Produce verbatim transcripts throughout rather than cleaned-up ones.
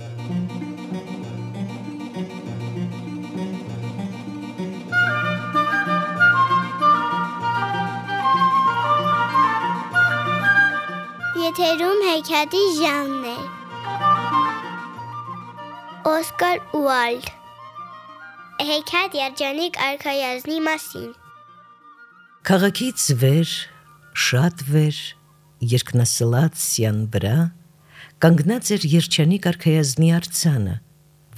Եթերում հեքիաթի ժամն է։ Օսկար Ուայլդ Հեքիաթ երջանիկ արքայազնի մասին։ Քաղաքից վեր, շատ վեր, երկնասլաց սյան վրա կանգնած էր երջանիկ արքայազնի արձանը,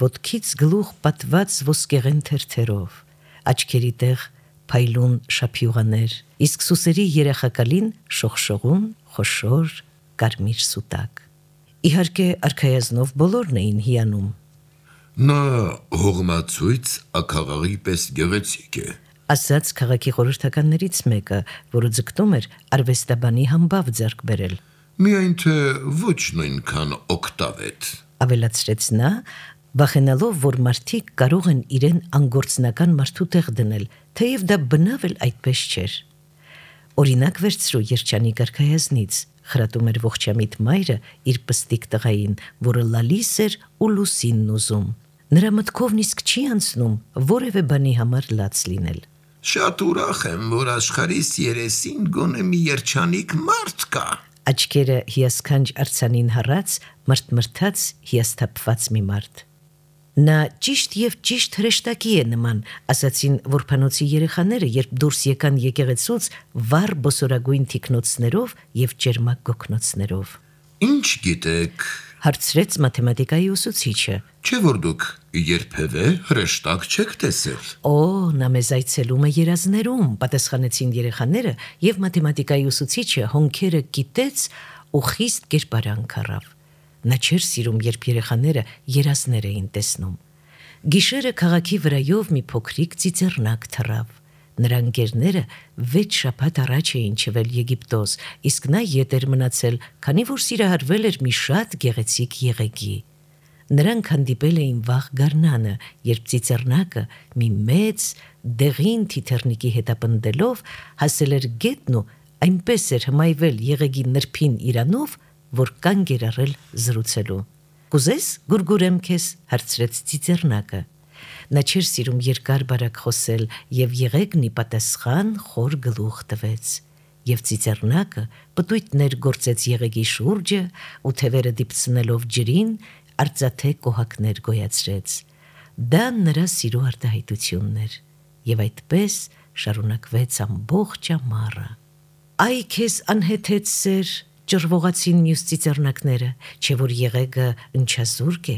ոտքից գլուխ պատված ոսկեղեն թերթերով, աչքերի տեղ փայլուն շափյուղաներ, իսկ սուսերի երախակալին շողշողուն, խոշոր, կարմիր սուտակ։ Իհարկե արքայազնով բոլորն էին հիանում։ Նա հողմացույց աքաղաղի պես գեղեցիկ է, ասաց քաղաքի խորհրդականներից մեկը, որը ձգտում էր արվեստաբանի համբավ ձեռք բերել։ միայն թե ոչ նույնքան օգտավետ, ավելացրեց նա, վախենալով, որ մարդիկ կարող են իրեն անգործնական մարդու տեղ դնել, թեև դա բնավ էլ այդպես չէր։ Օրինակ վերցրու երջանիկ արքայազնից, խրատում էր ողջամիտ մայրը իր պստիկ տղային, որը լալիս էր ու լուսինն ուզում։ Նրա մտքովն իսկ չի անցնում որևէ բանի համար լաց լինել։ շատ ուրախ եմ, որ աշխարհիս երեսին գոնե մի երջանիկ մարդ կա, Աչքերը հիասքանչ արձանին հառած, մրթմրթաց հիասթափված մի մարդ։ Նա ճիշտ և ճիշտ հրեշտակի է նման, ասացին որբանոցի երեխաները, երբ դուրս եկան եկեղեցուց վառ բոսորագույն թիկնոցներով և ճերմակ գոգնոցներով։ ինչ գիտեք, Հարցրեց մաթեմատիկայի ուսուցիչը։ չէ որ դուք երբևէ հրեշտակ չեք տեսել, Օ, նա մեզ այցելում է երազներում, պատասխանեցին երեխաները, և մաթեմատիկայի ուսուցիչը հոնքերը կիտեց ու խիստ կերպարանք առավ։ Նա չէր սիրում, երբ երեխաները երազներ էին տեսնում։ Գիշերը քաղաքի վրայով մի փոքրիկ ծիծեռնակ թռավ։ Նրա ընկերները վեց շաբաթ առաջ էին չվել Եգիպտոս, իսկ նա ետ էր մնացել, քանի որ սիրահարվել էր մի շատ գեղեցիկ եղեգի։ Նրանք հանդիպել էին վաղ գարնանը, երբ ծիծեռնակը մի մեծ դեղին թիթեռնիկի հետապնդելով հասել էր գետն ու այնպես էր հմայվել եղեգի նրբին իրանով, որ կանգ էր առել զրուցելու։ Կուզես գուրգուրեմ քեզ, հարցրեց ծիծեռնակը։ Նա չէր սիրում երկար բարակ խոսել և եղեգն ի պատասխան խոր գլուխ տվեց։ Եվ ծիծեռնակը պտույտներ գործեց եղեգի շուրջը ու թևերը դիպցնելով ջրին, արծաթե կոհակներ գոյացրեց։ Դա նրա սիրո արտահայտությունն էր։ Եվ այդպես շարունակվեց ամբողջ ամառը։ Այ քեզ անհեթեթ սեր, ճռվողացին մյուս ծիծեռնակները, չէ որ եղեգը ընչազուրկ է,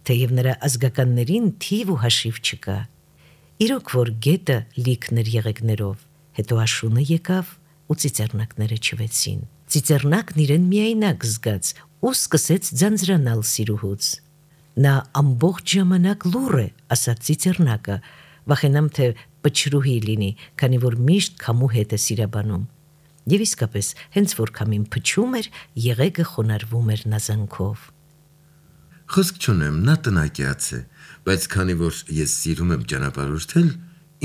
թեև նրա ազգականներին թիվ ու հաշիվ չկա։ Իրոք որ գետը լիքն էր եղեգներով, հետո աշունը եկավ ու ծիծեռնակները չվեցին։ Ծիծեռնակն իրեն միայնակ զգաց ու սկսեց ձանձրանալ սիրուհուց։ Նա ամբողջ ժամանակ լուռ է, ասաց ծիծեռնակը, վախենամ թե պչրուհի լինի, քանի որ միշտ քամու հետ է սիրաբանում։ Եվ իսկապես, հենց որ քամին փչում էր, եղեգը խոնարհվում էր նազանքով։ խոսք չունեմ, նա տնակյաց է, բայց քանի որ ես սիրում եմ ճանապարհորդել,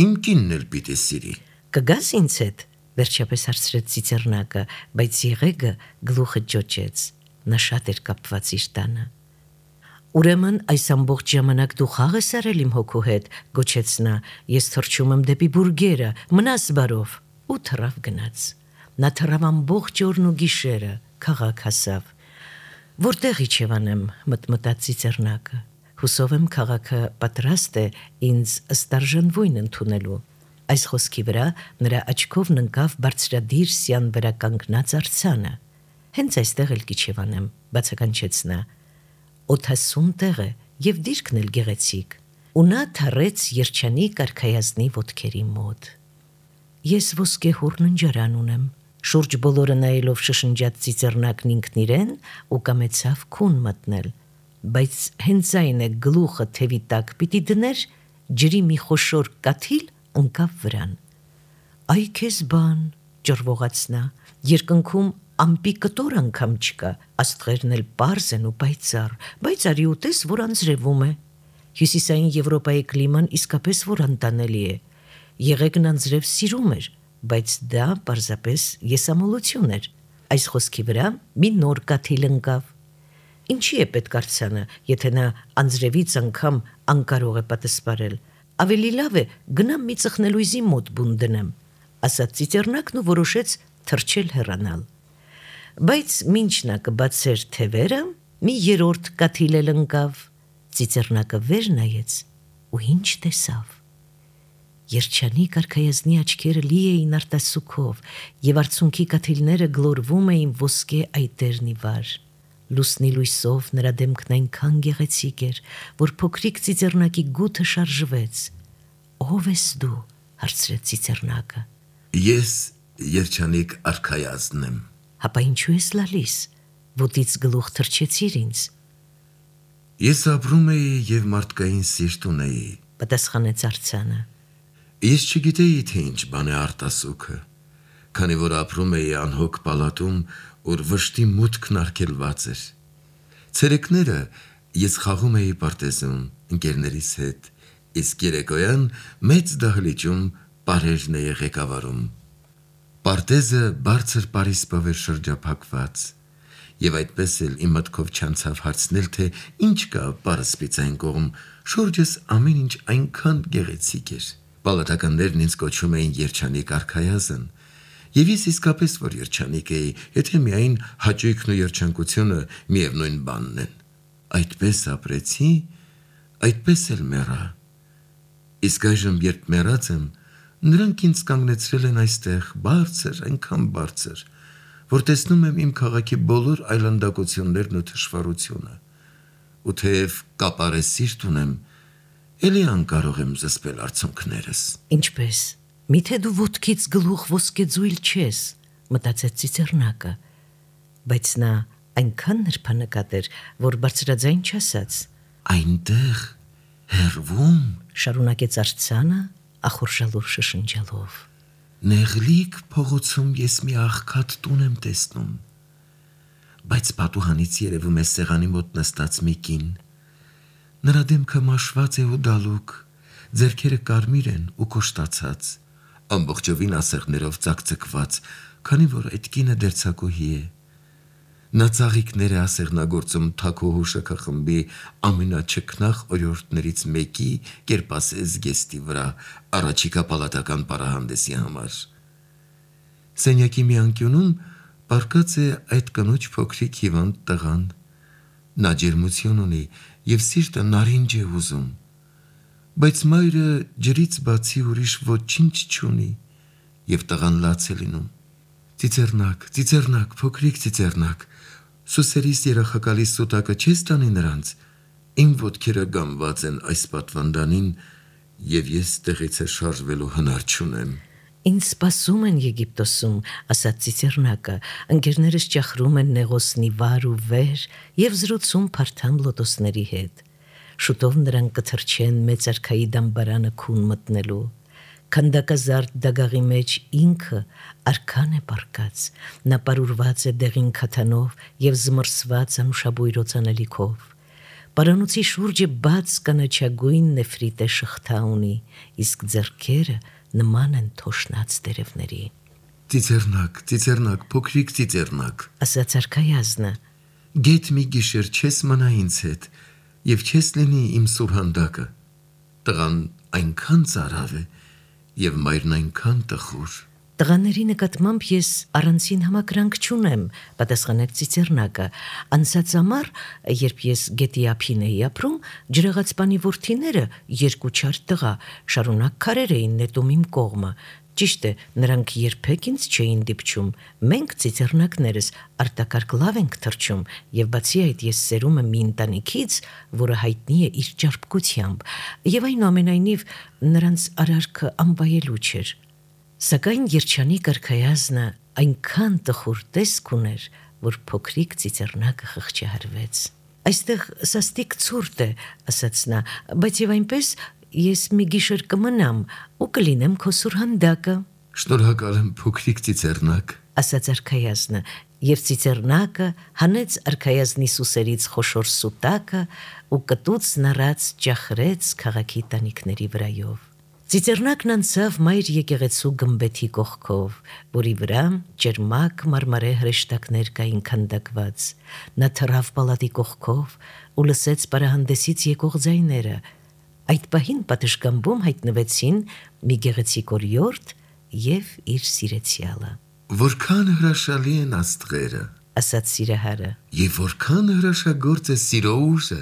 իմ կինն էլ պիտի սիրի, Կգաս ինձ հետ, վերջապես հարցրեց ծիծեռնակը, բայց եղեգը գլուխը ջոջեց։ Նա շատ էր կապված իր տանը։ Ուրեմն այս ամբողջ ժամանակ դու խաղ ես արել իմ հոգու հետ, գոչեց նա, ես թռչում եմ դեպի բուրգերը, մնաս բարով, ու թռավ գնաց։ Նա թռավ ամբողջ օրն ու գիշերը, քաղաք հասավ։ Որտեղ իջևանեմ, մտմտաց ծիծեռնակը, հուսով եմ քաղաքը պատրաստ է ինձ ըստարժանվույն ընդունելու։ Այս խոսքի վրա նրա աչքովն ընկավ բարձրադիր սյան վրա կանգնած արձանը։ Հենց այստեղ էլ կիջևանեմ, բացականչեց նա։ Օդասուն տեղ է և դիրքն էլ գեղեցիկ։ Ու նա թռեց երջանիկ արքայազնի ոտքերի մոտ։ Ես ոսկեհուռ ննջարան ունեմ, շուրջ բոլորը նայելով շշնջաց ծիծեռնակն ինքն իրեն ու կամեցավ քուն մտնել, բայց հենց այն է գլուխը թևի տակ պիտի դներ, ջրի մի խոշոր կաթիլ ընկավ վրան։ Այ քեզ բան, ճռվողաց նա, երկնքում ամպի կտոր անգամ չկա, աստղերն էլ պարզ են ու պայծառ, բայց արի ուտես, որ անձրևում է։ Հյուսիսային Եվրոպայի կլիման իսկապես որ անտանելի է։ Եղեգն անձրև սիրում էր, բայց դա պարզապես եսամոլություն էր։ Այս խոսքի վրա մի նոր կաթիլ ընկավ։ Ինչի է պետք արցանը, եթե նա անձրևից անգամ անկարող է պատասպարել։ Ավելի լավ է գնամ մի ծխնելույզի մոտ բուն դնեմ, ասաց ծիծեռնակն ու որոշեց թռչել հեռանալ։ Բայց մինչ նա կբացեր թևերը, մի երրորդ կաթիլ էլ ընկավ։ Ծիծեռնակը վեր նայեց ու ինչ տեսավ։ Երջանիկ արքայազնի աչքերը լի էին արտասուքով, եւ արցունքի կաթիլները գլորվում էին ոսկե այտերնի վար։ Լուսնի լույսով նրա դեմքն այնքան գեղեցիկ էր, որ փոքրիկ ծիծեռնակի գութը շարժվեց։ Ո՞վ ես դու, հարցրեց ծիծեռնակը։ Ես երջանիկ արքայազնն եմ։ Հապա ինչու ես լալիս, ոտից գլուխ թռչեցիր ինձ։ Ես ապրում էի եւ մարդկային սիրտ ունեի, պատասխանեց արձանը։ Ես չգիտեի, թե ինչ բան է արտասուքը, քանի որ ապրում էի անհոգ պալատում, որ վշտի մուտքն արգելված էր։ Ցերեկները ես խաղում էի պարտեզում ընկերներիս հետ, իսկ երեկոյան մեծ դահլիճում պարերն էի ղեկավարում։ Պարտեզը բարձր պարիսպով էր շրջափակված, եւ այդպես էլ իմ մտքով չանցավ հարցնել, թե ինչ կա պարսպից այն կողմ, շուրջս ամեն ինչ այնքան գեղեցիկ էր։ Պալատականներն ինձ կոչում էին երջանիկ արքայազն, եւ ես իսկապես որ երջանիկ էի, եթե միայն հաճույքն ու երջանկությունը միևնույն բանն են։ Այդպես ապրեցի, այդպես էլ մեռա։ Իսկ այժմ երբ մեռած եմ, նրանք ինձ կանգնեցրել են այստեղ բարձր, այնքան բարձր, որ տեսնում եմ իմ քաղաքի բոլոր այլանդակություններն ու թշվառությունը, ու թեև կապարե սիրտ ունեմ, էլի անկարող եմ զսպել արցունքներս։ Ինչպես, միթե դու ոտքից գլուխ ոսկեձույլ չես, մտածեց ծիծեռնակը, բայց նա այնքան նրբանկատ էր, որ բարձրաձայն չասաց։ Այնտեղ հեռվում, շարունակեց արձանը, ախորժալուր շշնջալով։ Նեղլիկ փողոցում ես մի աղքատ տուն եմ տեսնում, բայց պատուհանից երևում է սեղանի մոտ նստած մի կին։ Նրա դեմքը մաշված է ու դալուկ, ձեռքերը կարմիր են ու կոշտացած, ամբողջովին ասեղներով ծակծկված, քանի որ այդ կինը դերձակուհի է։ Նա ծաղիկներ է ասեղնագործում թաքուհու շքախմբի ամենաչքնաղ օրիորդներից մեկի կերպասես գեստի վրա առաջիկա պալատական պարահանդեսի համար։ Սենյակի մի անկյունում պառկած է այդ կնոջ փոքրիկ հիվանդ տղան։ Նա ջերմություն ունի եւ սիրտը նարինջ է ուզում, բայց մայրը ջրից բացի ուրիշ ոչինչ չունի եւ տղան լաց է լինում։ Ծիծեռնակ, ծիծեռնակ, փոքրիկ ծիծեռնակ, սուսերիս երախակալի սուտակը չես տանի նրանց, իմ ոտքերը գամված են այս պատվանդանին եւ ես տեղից է շարժվելու հնար չունեմ։ Ինձ սպասում են Եգիպտոսում, ասաց ծիծեռնակը, ընկերներս ճախրում են նեղոսնի վար ու վեր եւ զրուցում փարթամ լոտոսների հետ։ Շուտով նրանք կթռչեն մեծ արքայի դամբարանը քուն մտնելու։ Քանդակազարդ դագաղի մեջ ինքը արքան է պառկած, նա պարուրված է դեղին քաթանով եւ զմռսված անուշաբույրոց անելիքով։ Պարանոցի շուրջը բաց կանաչագույն նեֆրիտե շղթա ունի, իսկ ձեռքերը նման են թոշնած տերևների։ Ծիծեռնակ, ծիծեռնակ, փոքրիկ ծիծեռնակ, ասաց արքայազնը։ Գետ մի գիշեր չես մնա ինձ հետ եւ չես լինի իմ սուրհանդակը։ Տղան այնքան ծարավ է եւ մայրն այնքան տխուր։ Տղաների նկատմամբ ես առանցին համակրանք չունեմ, պատասխանեց ծիծեռնակը։ Անցած ամառ, երբ ես գետի ափին էի ապրում, ջրեղացպանի որդիները երկու չար տղա շարունակ քարեր էին նետում իմ կողմը։ Ճիշտ է, նրանք երբեք ինձ չէին դիպչում։ Մենք ծիծեռնակներս արտակարգ լավ ենք թռչում, եւ բացի այդ ես սերում եմ մի ընտանիքից, որը հայտնի է իր ճարպկությամբ, եւ այնուամենայնիվ նրանց արարքը անվայելու չէր։ Սակայն երջանիկ արքայազնը այնքան տխուր տեսք ուներ, որ փոքրիկ ծիծեռնակը խղճահարվեց։ Այստեղ սաստիկ ցուրտ է, ասաց նա, բայց եւ այնպես ես մի գիշեր կմնամ ու կլինեմ քո սուրհանդակը։ Շնորհակալ եմ փոքրիկ ծիծեռնակ, ասաց արքայազնը, եւ ծիծեռնակը հանեց արքայազնի սուսերից խոշոր սուտակը ու կտուց նռած ճախրեց քաղաքի տանիքների վրայով։ Ծիծեռնակն անցավ մայր եկեղեցու գմբեթի կողքով, որի վրա ջերմակ մարմարե հրեշտակներ կային քանդակված։ Նա թռավ պալատի կողքով ու լսեց պարահանդեսից եկող ձայները։ Այդ պահին պատշգամբում հայտնվեցին մի գեղեցիկ օրիորդ եւ իր սիրեցյալը։ Որքան հրաշալի են աստղերը, ասաց սիրահարը։ եւ որքան հրաշագործ է սիրո ուժը։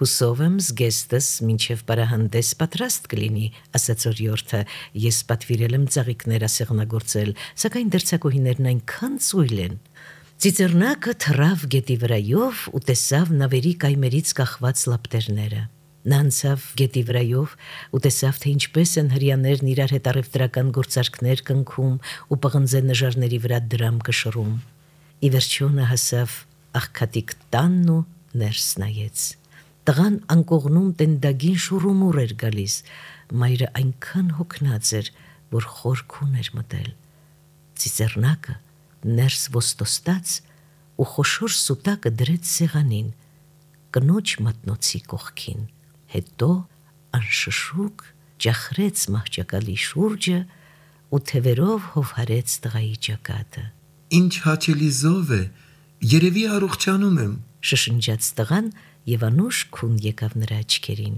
Հուսով եմ զգեստս մինչև պարահանդես պատրաստ կլինի, ասաց օրիորդը, ես պատվիրել եմ ծաղիկներ ասեղնագործել, սակայն դերձակուհիներն այնքան ծույլ են։ Ծիծեռնակը թռավ գետի վրայով ու տեսավ նավերի կայմերից կախված լապտերները։ Նա անցավ գետի վրայով ու տեսավ, թե ինչպես են հրեաներն իրար հետ առևտրական գործարքներ կնքում ու պղնձե նժարների վրա դրամ կշռում։ Ի վերջո նա հասավ աղքատիկ տանն ու ներս նայեց։ Տղան անկողնում տենդագին շուրումուռ էր գալիս, մայրը այնքան հոգնած էր, որ խորքուն էր մտել։ Ծիծեռնակը ներս ոստոստաց ու խոշոր սուտակը դրեց սեղանին, կնոջ մատնոցի կողքին, հետո անշշուկ ջախրեց մահճակալի շուրջը ու թևերով հովհարեց տղայի ճակատը։ Ինչ հաճելի զով է, երևի առողջանում եմ, շշնջաց տղան եւ անուշ քուն եկավ նրա աչքերին,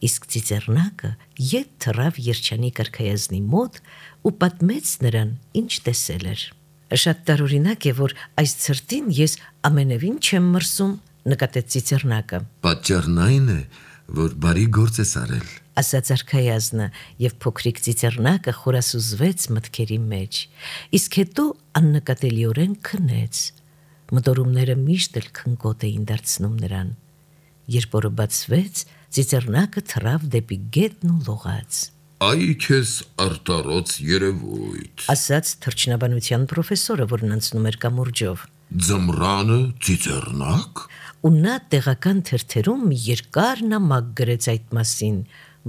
իսկ ծիծեռնակը ետ թռավ երջանիկ արքայազնի մոտ ու պատմեց նրան, ինչ տեսել էր։ Շատ տարօրինակ է, որ այս ցրտին ես ամենևին չեմ մրսում, նկատեց ծիծեռնակը։ Պատճառն այն է, որ բարի գործ ես արել, ասաց արքայազնը, եւ փոքրիկ ծիծեռնակը խորասուզվեց մտքերի մեջ, իսկ հետո աննկատելիորեն քնեց։ Մտորումները միշտ էլ քնկոտ էին դարձնում նրան։ Երբ օրը բացվեց, ծիծեռնակը թռավ դեպի գետն ու լողաց։ Այ քեզ արտարոց երևույթ, ասաց թռչնաբանության պրոֆեսորը, որն անցնում էր կամուրջով։ ձմռանը ծիծեռնակ, Ու նա տեղական թերթերում մի երկար նամակ գրեց այդ մասին։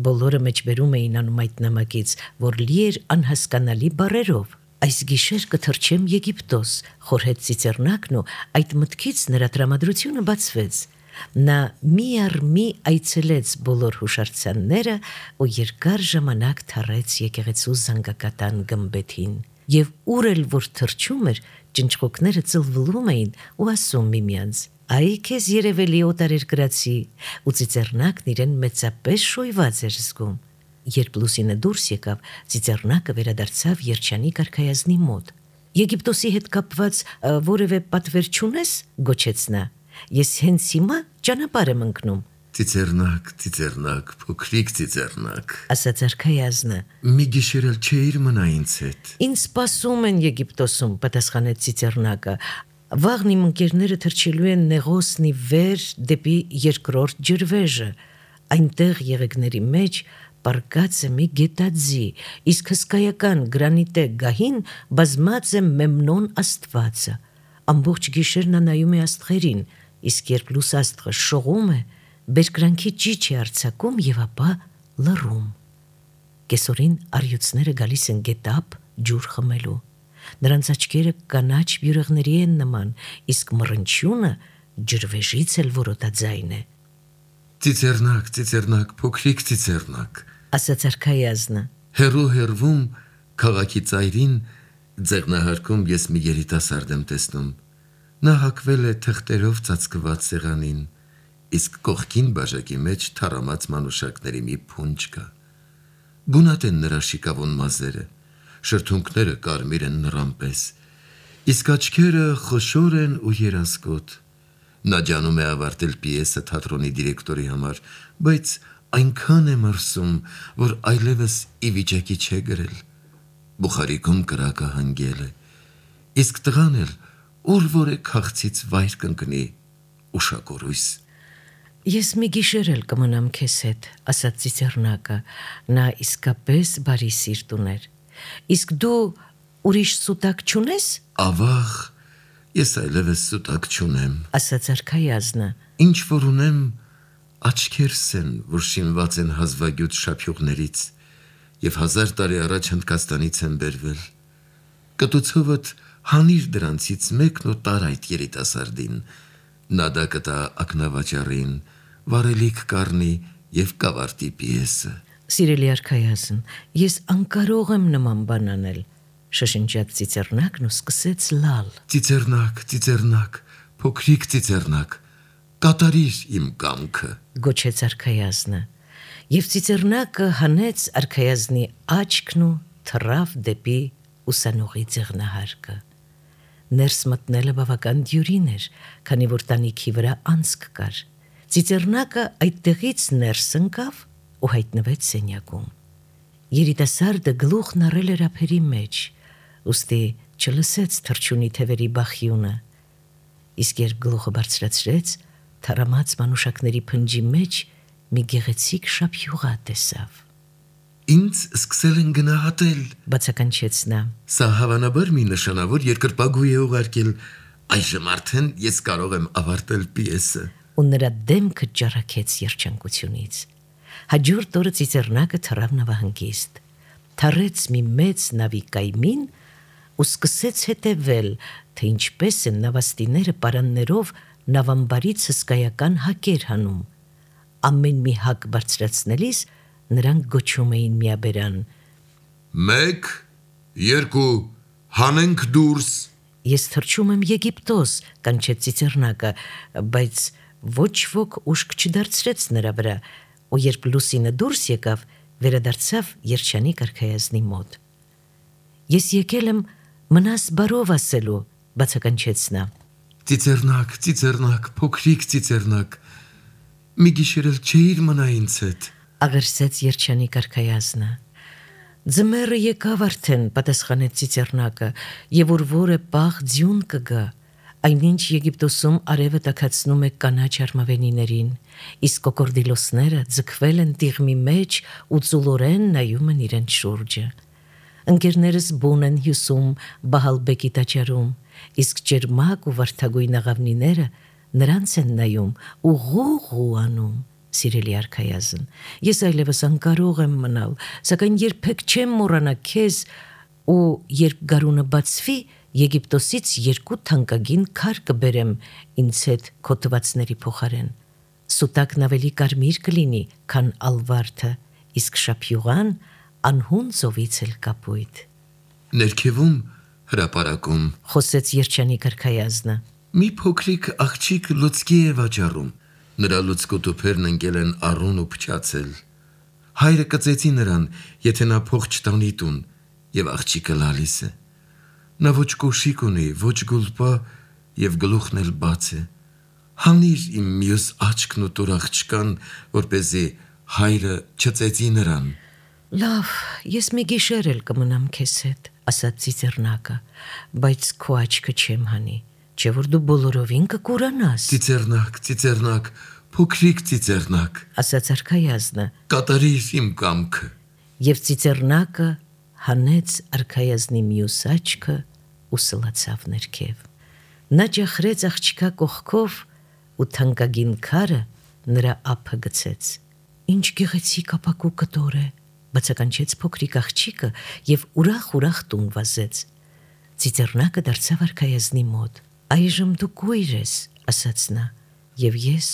Բոլորը մեջբերում էին անում այդ նամակից, որ լի էր անհասկանալի բառերով։ Այս գիշեր կթռչեմ Եգիպտոս, խորհեց ծիծեռնակն ու այդ մտքից նրա տրամադրությունը բացվեց։ Նա մի առ մի այցելեց բոլոր հուշարձանները ու երկար ժամանակ թռեց եկեղեցու զանգակատան գմբեթին։ Եվ ուր էլ որ թռչում էր, ճնճղոկները ծլվլում էին ու ասում միմյանց. Այ քեզ երևելի օտարերկրացի, ու ծիծեռնակն իրեն մեծապես շոյված էր զգում։ Երբ լուսինը դուրս եկավ, ծիծեռնակը վերադարձավ երջանիկ արքայազնի մոտ։ Եգիպտոսի հետ կապված որևէ պատվեր չունես, գոչեց նա։ Ես հենց հիմա ճանապարհ եմ ընկնում, ծիծեռնակ, ծիծեռնակ, փոքրիկ ծիծեռնակ, ասաց արքայազնը։ մի գիշեր էլ չէիր մնա ինձ հետ, Ինձ սպասում են Եգիպտոսում, պատասխանեց ծիծեռնակը։ Վաղն իմ ընկերները թռչելու են Նեղոսնի վեր դեպի երկրորդ ջրվեժը։ Այնտեղ եղեգների մեջ պառկած է մի գետաձի, իսկ հսկայական գրանիտե գահին բազմած է Մեմնոն աստվածը։ Ամբողջ գիշեր նա նայում է աստղերին, իսկ երբ լուսաստղը շողում է, բերկրանքի ճիչ է արձակում եւ ապա լռում։ Կեսօրին առյուծները գալիս են գետապ ջուր խմելու։ Նրանց աչքերը կանաչ բյուրեղների են նման, իսկ մռնչյունը ջրվեժից էլ որոտաձայն է, ծիծեռնակ, ծիծեռնակ, փոքրիկ ծիծեռնակ, ասաց արքայազնը։ հերո հերվում քաղաքի ծայրին ձեղնահարկում ես մի երիտասարդ եմ տեսնում, նա հակվել է թղթերով ծածկված սեղանին, իսկ կողքին բաժակի մեջ թառամած մանուշակների մի փունջ կա, գունատ են նրա շիկավուն մազերը, շրթունքները կարմիր են նրան պես, իսկ աչքերը խոշոր են ու երազկոտ։ Նա ջանում է ավարտել պիեսը թատրոնի դիրեկտորի համար, բայց այնքան է մրսում, որ այլևս ի վիճակի չէ գրել։ Բուխարիկում կրակը հանգել է, իսկ տղան էլ ուր որ է քաղցից վայր կընկնի, ուշակորույս։ Ես մի գիշեր էլ կմնամ քեզ հետ, ասաց ծիծեռնակը, նա իսկապես բարի սիրտ ուներ։ Իսկ դու ուրիշ սուտակ չունես, Ավաղ, ես այլևս սուտակ չունեմ, ասաց արքայազնը։ ինչ որ ունեմ աչքերս են, որ շինված են հազվագյուտ շափյուղներից և հազար տարի առաջ Հնդկաստանից են բերվել։ Կտուցովդ հանիր դրանցից մեկն ու տար այդ երիտասարդին, նա դա կտա ակնավաճառին, վարելիք կառնի և կավարտի պիեսը։ Սիրելի արքայազն, ես անկարող եմ նման բան անել, շշնջաց ծիծեռնակն ու սկսեց լալ։ Ծիծեռնակ, ծիծեռնակ, փոքրիկ ծիծեռնակ, կատարիր իմ կամքը, գոչեց արքայազնը, եւ ծիծեռնակը հանեց արքայազնի աչքն ու թռավ դեպի ուսանողի ձեղնահարկը։ Ներս մտնելը բավական դյուրին էր, քանի որ տանիքի վրա անցք կար։ Ծիծեռնակը այդտեղից ներս ընկավ ու հայտնվեց սենյակում։ Երիտասարդը գլուխն առել էր ափերի մեջ, ուստի չլսեց թռչունի թևերի բախյունը, իսկ երբ գլուխը բարձրացրեց, թարամած մանուշակների փնջի մեջ մի գեղեցիկ շափյուղա տեսավ։ Ինձ սկսել են գնահատել, Բացականչեց նա։ սա հավանաբար մի նշանավոր երկրպագու է ուղարկել, այժմ արդեն ես կարող եմ ավարտել պիեսը։ Ու նրա դեմքը ջարակեց երջանկությունից։ Հաջորդ օրը ծիծեռնակը թռավ նավահանգիստ, թռեց մի մեծ նավի կայմին ու սկսեց հետևել, թե ինչպես են նավաստիները պարաններով նավամբարից հսկայական հակեր հանում։ Ամեն մի հակ բարձրացնելիս նրանք գոչում էին միաբերան. Մեկ, երկու, հանենք դուրս։ Ես թռչում եմ Եգիպտոս, կանչեց ծիծեռնակը, բայց ոչ ոք ուշք չդարձրեց նրա վրա, ու երբ լուսինը դուրս եկավ, վերադարձավ երջանիկ արքայազնի մոտ։ Ես եկել եմ մնաս բարով ասելու, բացականչեց նա։ Ծիծեռնակ, ծիծեռնակ, փոքրիկ ծիծեռնակ, մի գիշեր էլ չէիր մնա ինձ հետ։ Աղերսեց երջանիկ արքայազնը։ Ձմեռը եկավ արդեն, պատասխանեց ծիծեռնակը, եւ որ որը պաղ ձյուն կգա, այնինչ Եգիպտոսում արևը տաքացնում է կանաչ արմավենիներին, իսկ կոկորդիլոսները ձգվել են տիղմի մեջ ու ծուլորեն նայում են իրենց շուրջը։ Ընկերներս բուն են հյուսում Բահալբեկի տաճարում, իսկ ջերմակ ու վարդագույն աղավնիները նրանց են նայում ու ղուղ անում։ Սիրելի արքայազն, ես այլևս անկարող եմ մնալ, սակայն երբեք չեմ մոռանա քեզ ու երբ գարունը բացվի, Եգիպտոսից երկու թանկագին քար կբերեմ ինձ հետ քոթվածների փոխարեն։ Սուտակն ավելի կարմիր կլինի, քան ալվարդը, իսկ շափյուղան անհուն ծովից էլ կապույտ։ Ներքևում հրապարակում Խոսեց երջանիկ արքայազնը։ մի փոքրիկ աղջիկ լուցկի է վաճառում։ Նրա լուցկոտոփերն ընկել են առուն ու փչացել։ Հայրը կծեցի նրան, եթե նա փող չտանի տուն, եւ աղջիկը լալիս է։ Նա ոչ կոշիկ ունի, ոչ գուլպա եւ գլուխն էլ բաց է։ Հանիր իմ մյուս աչքն ու տուր աղջկան, որպեսզի հայրը չծեցի նրան։ Լավ, ես մի գիշեր էլ կմնամ քեզ հետ, ասաց ծիծեռնակը, բայց քո աչքը չեմ հանի, չէ որ դու բոլորովին կկուրանաս։ Ծիծեռնակ, ծիծեռնակ, փոքրիկ ծիծեռնակ, ասաց արքայազնը, կատարիր իմ կամքը։ եւ ծիծեռնակը հանեց արքայազնի մյուս աչքը ու սլացավ ներքև։ Նա ջախրեց աղջկա կողքով ու թանկագին քարը նրա ափը գցեց։ Ինչ գեղեցիկ ապակու կտոր է, բացականչեց փոքրիկ աղջիկը եւ ուրախ-ուրախ տուն վազեց։ Ծիծեռնակը դարձավ արքայազնի մոտ։ Այժմ դու կույր ես, ասաց նա, եւ ես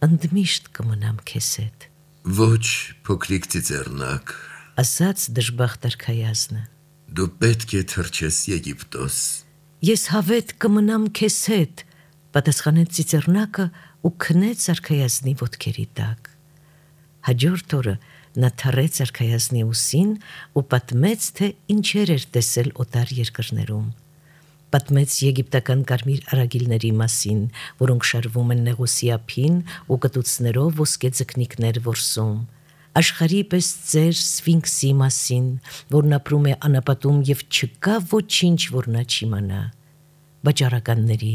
ընդմիշտ կմնամ քեզ հետ։ Ոչ, փոքրիկ ծիծեռնակ, ասաց դժբախտ արքայազնը։ դու պետք է թռչես Եգիպտոս։ Ես հավետ կմնամ քեզ հետ, պատասխանեց ծիծեռնակը ու քնեց արքայազնի ոտքերի տակ։ Հաջորդ օրը նա թռեց արքայազնի ուսին ու պատմեց, թե ինչեր էր տեսել օտար երկրներում։ Պատմեց եգիպտական կարմիր արագիլների մասին, որոնք շարվում են Նեղոսի ափին ու կտուցներով ոսկե ձկնիկներ որսում։ Աշխարհի պես ծեր Սֆինքսի մասին, որն ապրում է անապատում եւ չկա ոչինչ, որ նա չիմանա։ Վաճառականների,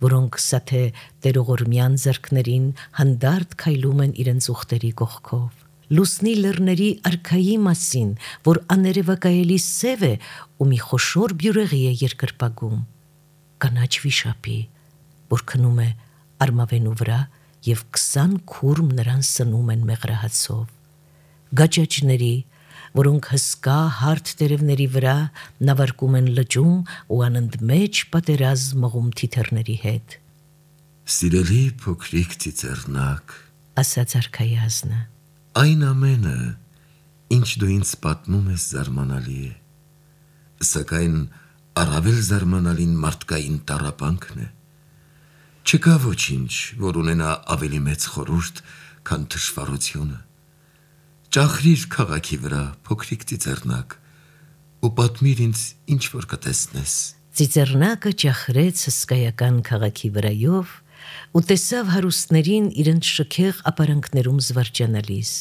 որոնք սաթե տերողորմյան ձեռքներին հանդարտ քայլում են իրենց ուխտերի կողքով։ Լուսնի լեռների արքայի մասին, որ աներևակայելի սև է ու մի խոշոր բյուրեղի է երկրպագում։ Կանաչ վիշապի, որ քնում է արմավենու վրա եւ քսան քուրմ նրան սնում են մեղրահացով։ Գաճաճների, որոնք հսկա հարթ տերևների վրա նավարկում են լճում ու անընդմեջ պատերազմ մղում թիթեռների հետ։ Սիրելի փոքրիկ ծիծեռնակ, ասաց արքայազնը։ այն ամենը, ինչ դու ինձ պատմում ես զարմանալի է, սակայն առավել զարմանալին մարդկային տառապանքն է, չկա ոչինչ, որ ունենա ավելի մեծ խորհուրդ, քան թշվառությունը, ճախրիր քաղաքի վրա, փոքրիկ ծիծեռնակ, ու պատմիր ինձ ինչ որ կտեսնես։ Ծիծեռնակը ճախրեց հսկայական քաղաքի վրայով ու տեսավ հարուստներին իրենց շքեղ ապարանքներում զվարճանալիս,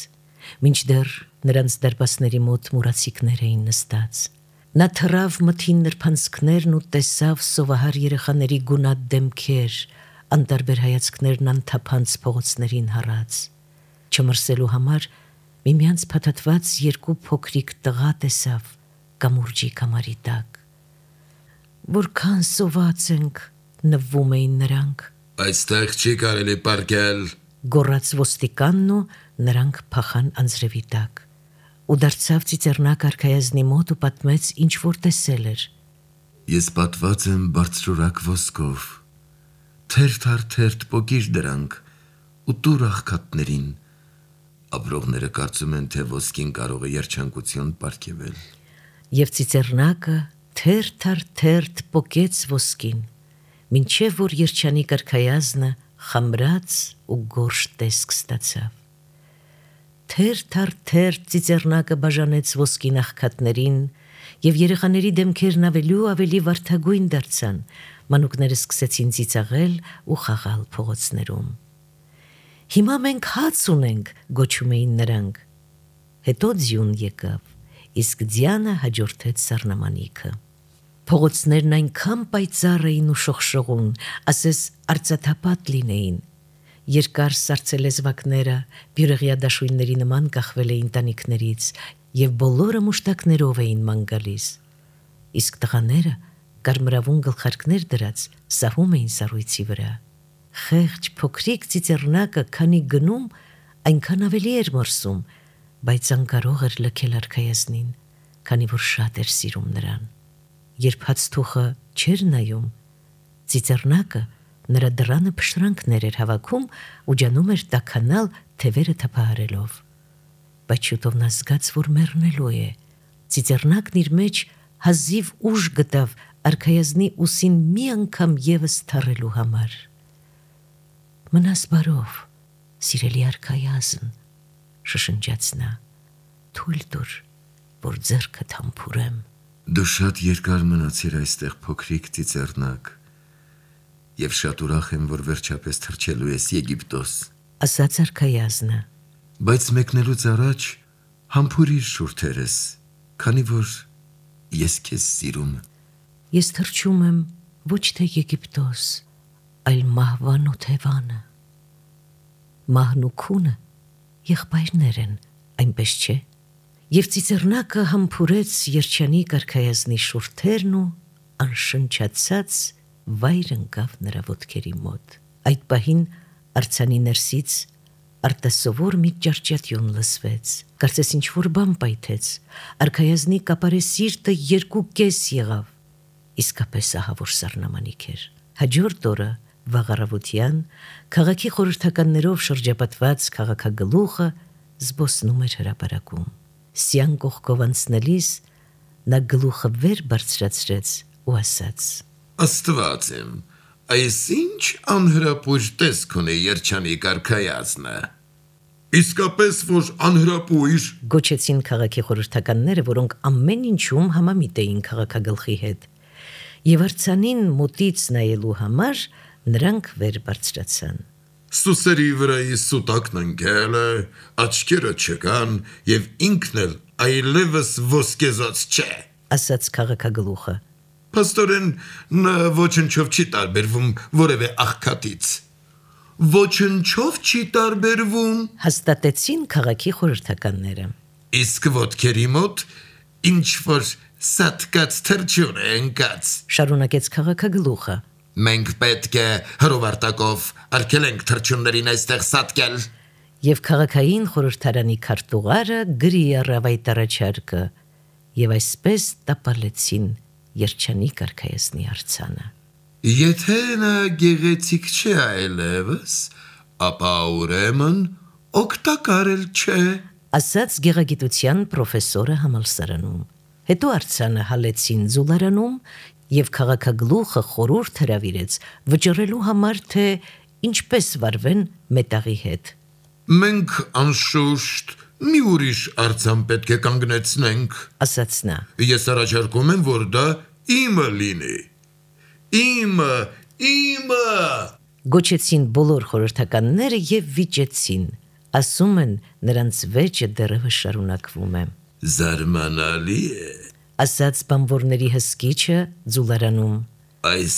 մինչդեռ նրանց դարպասների մոտ մուրացիկներ էին նստած։ Նա թռավ մթին նրբանցքներն ու տեսավ սովահար երեխաների գունատ դեմքեր, անտարբեր հայացքներն անթափանց փողոցներին հառած։ Չմրսելու համար միմյանց փաթաթված երկու փոքրիկ տղա տեսավ կամուրջի կամարի տակ։ Որքան սոված ենք, նվվում էին նրանք։ Այստեղ չի կարելի պարկել, գոռաց ոստիկանն ու նրանք փախան անձրևի տակ։ Ու դարձավ ծիծեռնակ արքայազնի մոտ ու պատմեց ինչ որ տեսել էր։ Ես պատված եմ բարձրորակ ոսկով, թերթ առ թերթ պոկիր դրանք ու տուր աղքատներին, ապրողները կարծում են, թե ոսկին կարող է երջանկություն պարգևել։ Եվ ծիծեռնակը թերթ առ թերթ պոկեց ոսկին, մինչև որ երջանիկ արքայազնը խամրած ու գորշ տեսք ստացավ։ Թերթ առ թերթ ծիծեռնակը բաժանեց ոսկին աղքատներին, եւ երեխաների դեմքերն ավելի ու ավելի վարդագույն դարձան, մանուկները սկսեցին ծիծաղել ու խաղալ փողոցներում։ Հիմա մենք հաց ունենք, գոչում էին նրանք։ Հետո ձյուն եկավ, իսկ ձյանը հաջորդեց սառնամանիքը։ Փողոցներն այնքան պայծառ էին ու շողշողուն, ասես արծաթապատ լինեին։ Երկար սառցելեզվակները բյուրեղյա դաշույնների նման կախվել էին տանիքներից եւ բոլորը մուշտակներով էին ման գալիս։ Իսկ տղաները կարմրավուն գլխարկներ դրած սահում էին սառույցի վրա։ Խեղճ փոքրիկ ծիծեռնակը քանի գնում, այնքան ավելի էր մրսում, բայց անկարող էր լքել արքայազնին, քանի որ շատ էր սիրում նրան։ Երբ հացթուխը չէր նայում, ծիծեռնակը նրա դռանը փշրանքներ էր հավաքում ու ջանում էր տաքանալ թևերը թափահարելով։ Բայց շուտով նա զգաց, որ մեռնելու է։ Ծիծեռնակն իր մեջ հազիվ ուժ գտավ արքայազնի ուսին մի անգամ եւս թռելու համար։ Մնաս բարով, սիրելի արքայազն, շշնջաց նա, թույլ տուր, որ ձեռքդ համբուրեմ։ Դու շատ երկար մնացիր այստեղ, փոքրիկ ծիծեռնակ, եւ շատ ուրախ եմ, որ վերջապես թռչելու ես Եգիպտոս, ասաց արքայազնը։ Բայց մեկնելուց առաջ համբուրիր շուրթերս, քանի որ ես քեզ սիրում եմ։ Ես թռչում եմ ոչ թե Եգիպտոս, այլ մահվան ու թևանը։ Մահն ու քունը եղբայրներ են, այնպես չէ։ Եվ ծիծեռնակը համբուրեց երջանիկ արքայազնի շուրթերն ու անշնչացած վայր ընկավ նրա ոտքերի մոտ։ Այդ պահին արձանի ներսից արտասովոր մի ճարճատյուն լսվեց, կարծես ինչ-որ բան պայթեց, արքայազնի կապարե սիրտը երկու կես եղավ, իսկապես ահավոր սառնամանիք էր։ Հաջորդ օրը վաղառավոտյան քաղաքի խորհրդականներով շրջապատված քաղաքագլուխը զբոսնում էր հրապարակում։ Սյան կողքով անցնելիս նա գլուխը վեր բարձրացրեց ու ասաց. Աստված իմ, այս ինչ անհրապույր տեսք ունի երջանիկ արքայազնը։ Իսկապես որ անհրապույր, գոչեցին քաղաքի խորհրդականները, որոնք ամեն ինչում համամիտ էին քաղաքագլխի հետ։ Եվ արձանին մոտից նայելու համար նրանք վեր բարձրացան։ Սուսերի վրայի սուտակն ընկել է, աչքերը չկան եւ ինքն էլ այլևս ոսկեզած չէ, ասաց քաղաքագլուխը։ Փաստորեն նա ոչնչով չի տարբերվում որևէ աղքատից։ Ոչնչով չի տարբերվում, հաստատեցին քաղաքի խորհրդականները։ Իսկ ոտքերի մոտ ինչ որ սատկած թրջուն է ընկած, շարունակեց քաղաքագլուխը։ Մենք պետք է հրովարտակով արգելենք թրջուններին այստեղ սատկել։ Եվ քաղաքային խորհրդարանի քարտուղարը գրի առավ այդ առաջարկը, եւ այսպես տապալեցին երջանիկ արքայազնի արձանը։ Եթե նա գեղեցիկ չէ այլևս, ապա ուրեմն օգտակար էլ չէ, ասաց գեղագիտության պրոֆեսորը համալսարանում։ Հետո արձանը հալեցին զուլարանում եւ քաղաքագլուխը խորհուրդ հրավիրեց վճռելու համար, թե ինչպես վարվեն մետաղի հետ։ Մենք անշուշտ մի ուրիշ արձան պետք է կանգնեցնենք, ասաց նա։ Ես առաջարկում եմ, որ դա իմը լինի։ Իմը, իմը։ Գոչեցին բոլոր խորհրդականները եւ վիճեցին։ Ասում են, նրանց վեճը դեռևս շարունակվում է։ Զարմանալի է, ասաց բանվորների հսկիչը զուլարանում։ Այս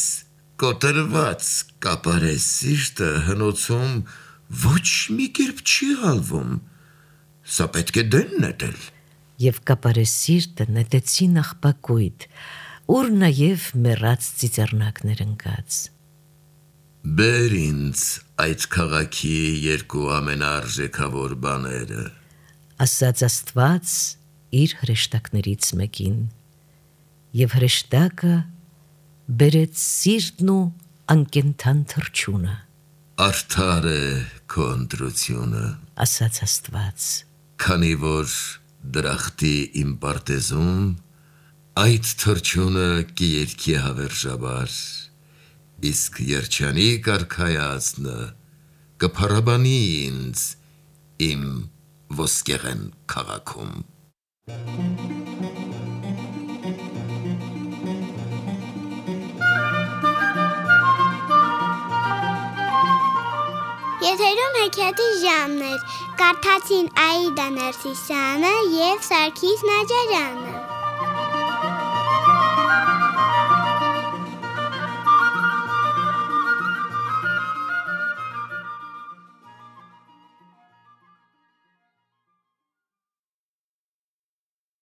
կոտրված կապարես սիրտը հնոցում ոչ մի կերպ չի հալվում։ Սա պետք է դեն նետել։ Եվ կապարես սիրտը նետեցին աղբակույտ, ուր նաև մեռած ծիծեռնակներ ընկած։ Բեր ինձ այդ քաղաքի երկու ամենարժեքավոր բաները, ասաց Աստված իր հրեշտակներից մեկին, եւ հրեշտակը բերեց սիրտն ու անկենթան թռչունը, արդար է քո ընտրությունը, ասաց Աստված, քանի որ դրախտի իմ պարտեզում այդ թռչունը կերքի հավերժաբար, իսկ երջանիկ արքայածնը կփառաբանի ինձ իմ ոսկեղեն քաղաքում։ Եթերում հեքիաթի ժամն էր, կարդացին Աիդա Ներսիսյանը և Սարգիս Նաջարյանը։